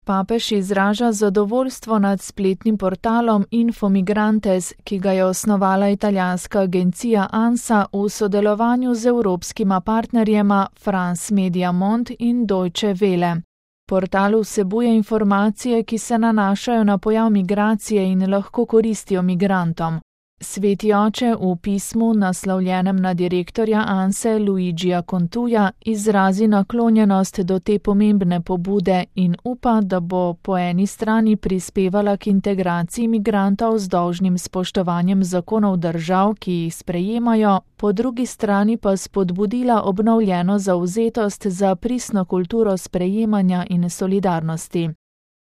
Papež izraža zadovoljstvo nad spletnim portalom Infomigrantes, ki ga je osnovala italijanska agencija ANSA v sodelovanju z evropskima partnerjema France Media Monde in Deutsche Welle. Portal vsebuje informacije, ki se nanašajo na pojav migracije in lahko koristijo migrantom. Sveti oče v pismu, naslovljenem na direktorja ANSE Luigija Contuja, izrazi naklonjenost do te pomembne pobude in upa, da bo po eni strani prispevala k integraciji migrantov z dolžnim spoštovanjem zakonov držav, ki jih sprejemajo, po drugi strani pa spodbudila obnovljeno zavzetost za pristno kulturo sprejemanja in solidarnosti.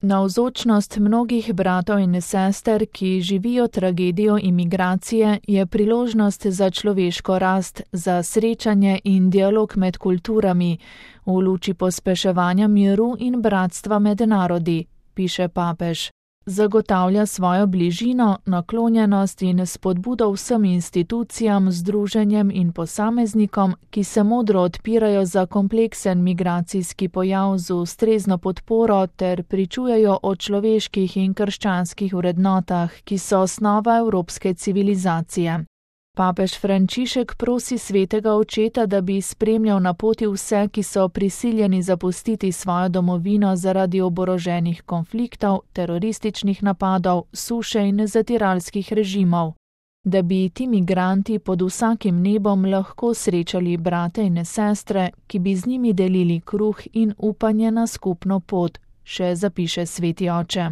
Navzočnost mnogih bratov in sester, ki živijo tragedijo imigracije, je priložnost za človeško rast, za srečanje in dialog med kulturami, v luči pospeševanja miru in bratstva med narodi, piše papež. Zagotavlja svojo bližino, naklonjenost in spodbudo vsem institucijam, združenjem in posameznikom, ki se modro odpirajo za kompleksen migracijski pojav z ustrezno podporo ter pričujejo o človeških in krščanskih vrednotah, ki so osnova evropske civilizacije. Papež Frančišek prosi svetega očeta, da bi spremljal na poti vse, ki so prisiljeni zapustiti svojo domovino zaradi oboroženih konfliktov, terorističnih napadov, suše in zatiralskih režimov. Da bi ti migranti pod vsakim nebom lahko srečali brate in sestre, ki bi z njimi delili kruh in upanje na skupno pot, še zapiše sveti oče.